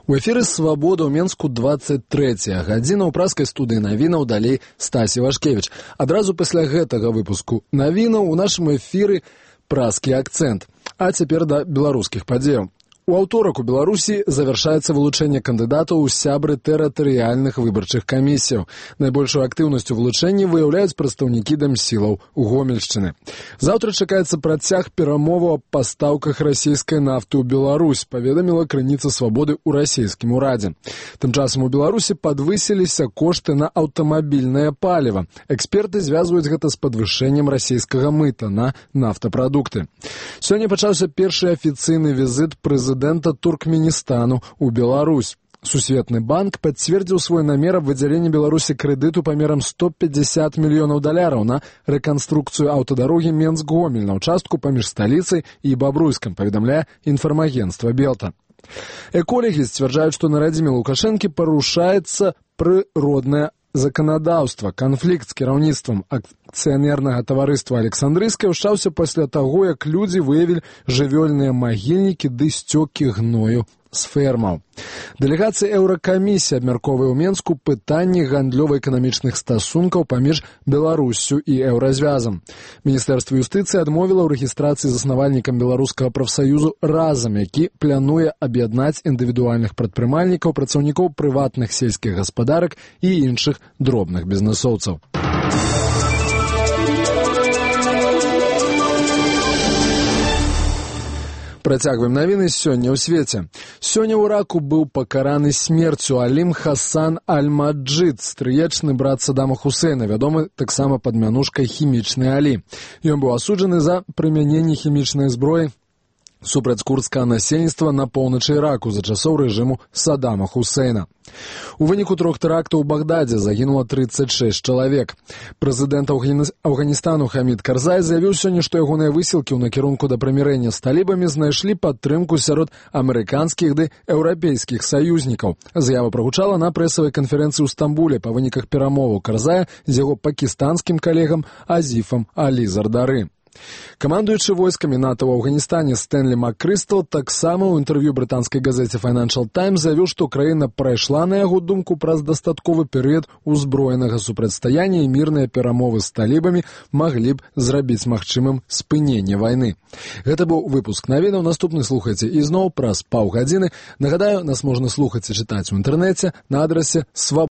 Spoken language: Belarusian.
У эфіры «Свабода» ў Менску 23-я гадзіна ў праскай студыі навінаў, далей Стасі Вашкевіч. Адразу пасля гэтага выпуску навінаў у нашым эфіры праскі акцэнт. А цяпер да беларускіх падзеяў. У аўторак у Беларусі завяршаецца вылучэнне кандыдатаў у сябры тэрытарыяльных выбарчых камісіяў. Найбольшую актыўнасць у вылучэнні выяўляюць прадстаўнікі дэмсілаў у Гомельшчыны. Заўтра чакаецца працяг перамоваў аб пастаўках расійскай нафты ў Беларусь, паведаміла крыніца «Свабоды» ў расійскім урадзе. Тым часам у Беларусі падвысіліся кошты на аўтамабільнае паліва. Эксперты звязваюць гэта з падвышэннем расійскага мыта на нафтапрадукты. Сёння пачаўся першы афіцыйны візіт прэзідэнта Туркменістану ў Беларусь. Сусветны банк пацвердзіў свой намер аб выдзяленні Беларусі крэдыту памерам $150 мільёнаў на рэканструкцыю аўтадарогі Менск-Гомель на ўчастку паміж сталіцай і Бабруйскам, паведамляе інфармагенцтва Белта. Эколагі сцвярджаюць, што на радзіме Лукашэнкі парушаецца прыроднае заканадаўства. Канфлікт з кіраўніцтвам акцыянернага таварыства Александрыйскай ўчаўся пасля таго, як людзі выявілі жывёльныя магільнікі ды сцёкі гною з фермаў. Дэлегацыя Еўракамісіі абмяркоўвае ў Менску пытанні гандлёва-эканамічных стасункаў паміж Беларуссю і Еўразвязам. Міністэрства юстыцыі адмовіла ў рэгістрацыі заснавальнікам беларускага прафсаюзу «Разам», які плануе аб'яднаць індывідуальных прадпрымальнікаў, працаўнікоў прыватных сельскіх гаспадарак і іншых дробных бізнэсоўцаў. Працягваем навіны сёння ў свеце. Сёння ў Іраку быў пакараны смерцю Алім Хасан Аль-Маджид, стрыечны брат Саддама Хусейна, вядомы таксама пад мянушкай «Хімічны Алі». Ён быў асуджаны за прымяненне хімічнай зброі супраць курдскага насельніцтва на поўначы Іраку за часоў рэжыму Саддама Хусейна. У выніку 3 тэрактаў у Багдадзе загінула 36 чалавек. Прэзідэнт Афганістану Хамід Карзай заявіў сёння, што ягоныя высілкі ў накірунку да прымірэння з талібамі знайшлі падтрымку сярод амерыканскіх ды еўрапейскіх саюзнікаў. Заява прагучала на прэсавай канферэнцыі ў Стамбуле па выніках перамоваў Карзая з яго пакістанскім калегам Азіфам Алі Зардары. Камандуючы войскамі НАТО ў Афганістане Стэнлі Маккрыстал таксама ў інтэрв'ю брытанскай газеце Financial Times заявіў, што краіна прайшла, на яго думку, праз дастатковы перыяд узброенага супрацьстаяння і мірныя перамовы з талібамі маглі б зрабіць магчымым спыненне вайны. Гэта быў выпуск навінаў. Наступны слухайце ізноў праз паўгадзіны. Нагадаю, нас можна слухаць і чытаць у інтэрнэце на адрасе